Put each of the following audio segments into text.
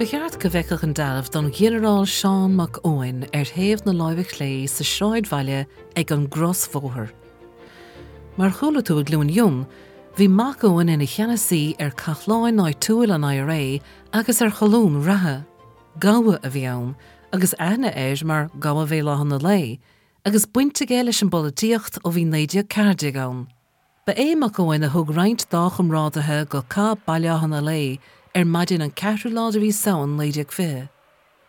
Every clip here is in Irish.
Ba cheart go bhfeicfeadh an dealbh don Ghinearál Seán Mac Eoin ar thaobh na láimhe clé sa sráidbhaile ag an gcrosbhóthar. Mar a chuala tú i gCluain Fhionn, bhí Mac Eoin ina cheannasaí ar cathláin áitiúil an IRA agus ar cholún reatha. Gabha a bhí ann, agus aithne air mar Gabha Bhéal Átha na Lao, agus baint aige leis an bpolaitíocht ó bhí 1914 ann. Ba é Mac Eoin a thug roinnt dá chomrádaithe go Cath Baile Átha na Lao ar maidin an ceathrú lá de mhí Samhain 1920.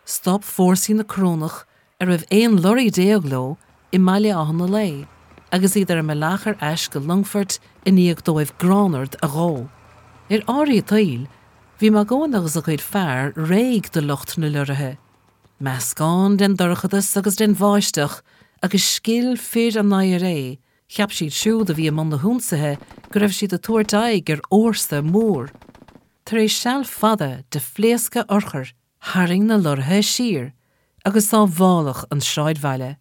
Stop fórsaí na Corónach, a raibh 11 lorraí leo, i mBaile Átha na Lao agus iad ar a mbealach ar ais go Longfort i ndiaidh dóibh gránard a dhó. Ar áirí an tsaoil, bhí Mac Eoin agus a chuid fear réidh do lucht na lorraithe. Meascán den dorchadas agus den bháisteach agus scil fir an IRA, Cheap siad siúd a bhí i mbun na hionsaithe go raibh siad ag tabhairt aghaidh ar fhórsa mór. Tar éis seal fada de phléascadh urchar, tharraing na lorraithe siar agus sábháladh an sráidbhaile.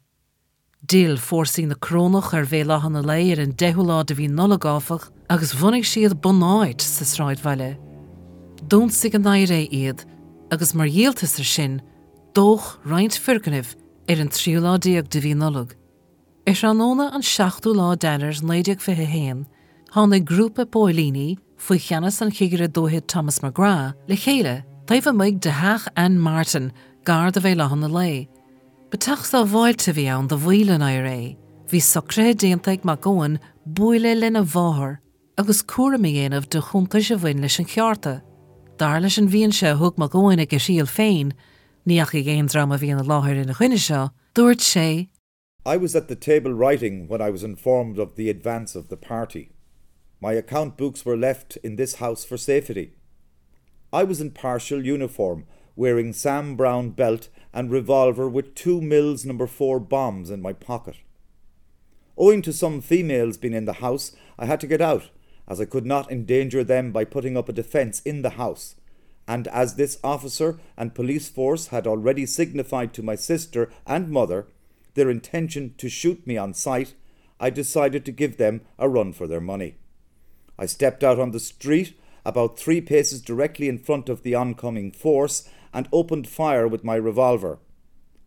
D'fhill fórsaí na Corónach ar Bhéal Átha na Lao ar an deichiú lá de mhí Nollag, áfach, agus bhunaigh siad bunáit sa sráidbhaile. D'ionsaigh an IRA iad agus mar dhíoltas ar sin, dódh roinnt foirgnimh ar an tríú lá déag de mhí Nollag. Ar thráthnóna an seachtú lá d'Eanáir 1921, tháinig grúpa póilíní, faoi cheannas an Chigire Dúiche Thomas McGrath, le chéile taobh amuigh de theach Ann Martin gar do Bhéal Átha na Lao. Ba teach sábháilte a bhí ann do bhaill an IRA. Bhí socruithe déanta ag Mac Eoin bualadh lena mháthair agus cúram a dhéanamh de chuntais a bhain leis an cheárta. Dar leis an bhfianaise a thug Mac Eoin ag a thriail féin, ní dheachaigh aon dream a bhí ina láthair ina choinne seo, dúirt sé, I was at the table writing when I was informed of the advance of the party. My account books were left in this house for safety. I was in partial uniform, wearing Sam Brown belt and revolver with 2 Mills number 4 bombs in my pocket. Owing to some females being in the house, I had to get out, as I could not endanger them by putting up a defence in the house, and as this officer and police force had already signified to my sister and mother their intention to shoot me on sight, I decided to give them a run for their money. I stepped out on the street about 3 paces directly in front of the oncoming force and opened fire with my revolver.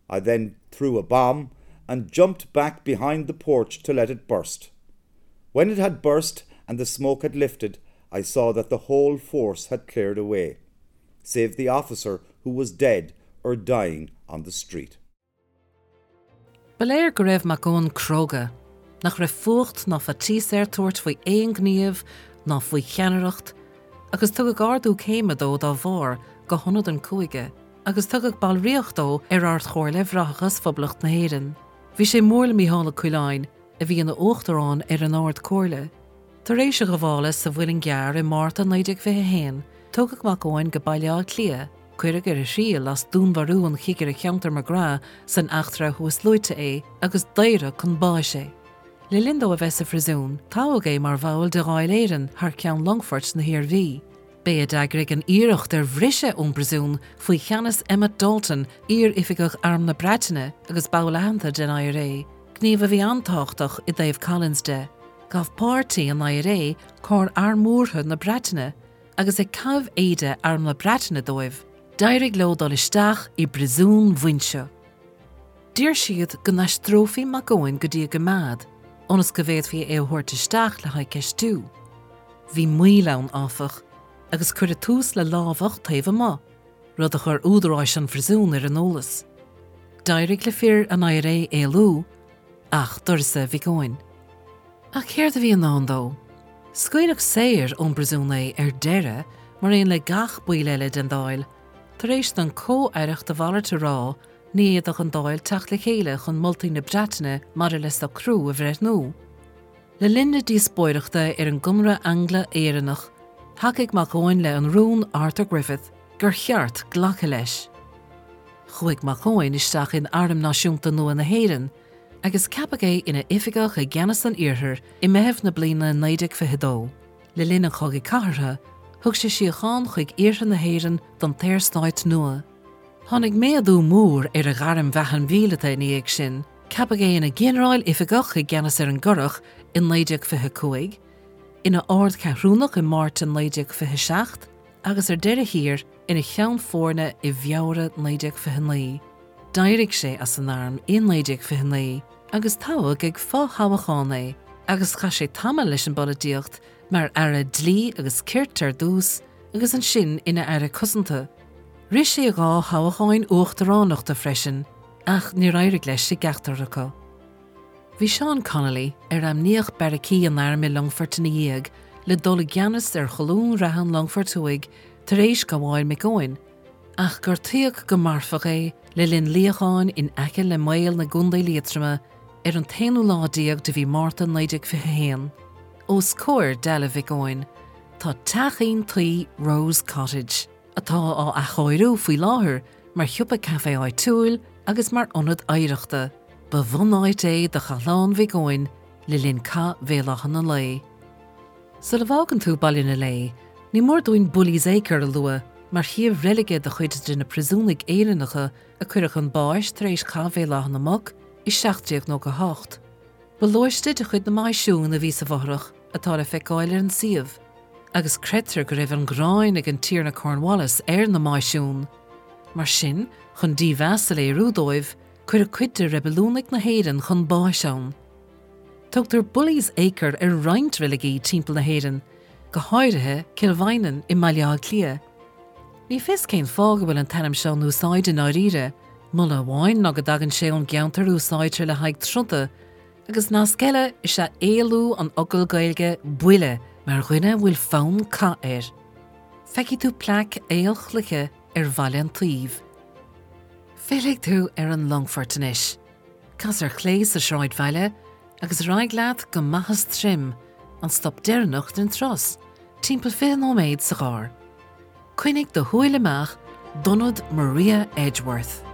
I then threw a bomb and jumped back behind the porch to let it burst. When it had burst and the smoke had lifted, I saw that the whole force had cleared away, save the officer who was dead or dying on the street. Ba léir go raibh Mac Eoin cróga, nach raibh fuacht ná faitíos air tabhairt faoi aon ghníomh ná faoi cheannaireacht, agus tugadh ardú céime dó dá bharr go hionad an chúige, agus tugadh ballraíocht dó ar Ard-Chomhairle Bhráithreachas Phoblacht na hÉireann. Bhí sé mór le Mícheál Ó Coileáin, a bhí ina uachtarán ar an Ard-Chomhairle. Tar éis a ghabhála sa Mhuileann gCearr i Márta 1921, tugadh Mac Eoin go Baile Átha Cliath, Cuireadh ar a thriail as dúnmharú an chigire cheantair McGrath san eachtra thuasluaite é agus daoradh chun báis é. Le linn dó a bheith sa phríosún, toghadh é mar bhall de Dháil Éireann thar ceann Longfoirt na hIarmhí. B'é a d'eagraigh an iarracht ar bhriseadh ón bpríosún faoi cheannas Emmet Dalton, iar-oifigeach Arm na Breataine agus ball aitheanta den IRA, gníomh a bhí an-tábhachtach i dtaobh Collins de. Ghabh páirtí an IRA carr armúrtha na Breataine, agus ag caitheamh éide Arm na Breataine dóibh, d'éirigh leo dul isteach i bpríosún Mhuinseo. D'iarr siad go n-aistreofaí Mac Eoin go dtí a gcoimeád, ionas go bhféadfaí é a thabhairt isteach le haghaidh ceistiú. Bhí moill ann, áfach, agus cuireadh tús le lámhach taobh amuigh, rud a chuir údaráis an phríosúin ar an eolas. D'éirigh le fir an IRA éalú, ach d'uireasa Mhic Eoin. Ach céard a bhí i ndán dó? Scaoileadh saor ón bpríosún é ar deireadh, mar aon le gach baill eile den Dáil, tar éis don comh-aireacht a mhalairt a rá ní fhéadfadh an Dáil teacht le chéile chun moltaí na Breataine maidir le socrú a bhreithniú. Le linn na díospóireachta ar an gConradh Angla-Éireannach, thacaigh Mac Eoin le an rún Arthur Griffith gur cheart glacadh leis. Chuaigh Mac Eoin isteach in Arm Náisiúnta nua na hÉireann, agus ceapadh é ina oifigeach i gceannas an Iarthair i Meitheamh na bliana 1922. Le linn an Chogaidh Cathartha, thug sé síocháin chuig iarthar na hÉireann don tSaorstát nua. Tháinig méadú mór ar a ghairm bheatha mhíleata ina dhiaidh sin, ceapadh é ina ghinearál oifigeach i gceannas ar an gCurrach i 1925, ina Ardcheathrúnach i Márta 1927 agus ar deireadh thiar, ina cheann foirne i bhFeabhra 1929. D'éirigh sé as an arm i 1929 agus toghadh ag fo-thoghchán é agus chaith sé tamall leis an bpolaitíocht mar Aire Dlí agus Cirt ar dtús agus ansin ina Aire Cosanta. Rith sé 2 thoghcháin uachtaránachta freisin ach níor éirigh leis i gceachtar acu. Bhí Seán Connolly, ar ainmníodh beairicí an airm i Longfort ina dhiaidh, le dul i gceannas ar Cholún reatha an Longfoirt Thuaidh tar éis gabháil Mhic Eoin, ach gortaíodh go marfach é le linn luíocháin in aice le Maol i gContae Liatroma ar an t-aonú lá déag de mhí Márta 1921. Os comhair dealbh Mhic Eoin tá teachín tuí Rose Cottage, atá á athchóiriú faoi láthair mar shiopa caife áitiúil agus mar ionad oidhreachta. Ba bhunáit é do Chathlán Mhic Eoin le linn Cath Bhéal Átha na Lao. Sula bhfágann tú Baile na Lé, ní mór dúinn Bully's Acre a lua mar shuíomh reilige do chuid de na príosúnaigh Éireannacha a cuireadh chun báis tar éis Chath Bhéal Átha na Muc i 1798. Ba lóiste de chuid na Máisiún a bhí sa bhfothrach atá le feiceáil ar an suíomh, agus creidtear go raibh an ghráin ag an Tiarna Cornwallis ar na Máisiún. Mar sin, chun dímheas a léiriú dóibh, cuireadh cuid de reibiliúnaigh na hÉireann chun báis ann. Tugtar Bully's Acre ar roinnt reiligí timpeall na hÉireann, go háirithe Cill Mhaighneann i mBaile Átha Cliath. Ní fios cén fáth go bhfuil an t-ainm seo in úsáid i ndáiríre. Moladh amháin ná go dtagann sé ón gceantar a úsáidtear le haghaidh troda, agus nasc eile is ea éalú an fhocail Gaeilge buille mar dhuine a bhfuil fonn cath air. Feicfidh tú plaic aolchloiche ar bhalla an tsuímh. Fillfidh tú ar an Longfort anois. Cas ar chlé sa sráidbhaile agus ar aghaidh leat go Machas Troim, an stop deireanach den turas, timpeall 20 nóiméad sa charr. Coinnigh do shúil amach d'ionad Maria Edgeworth.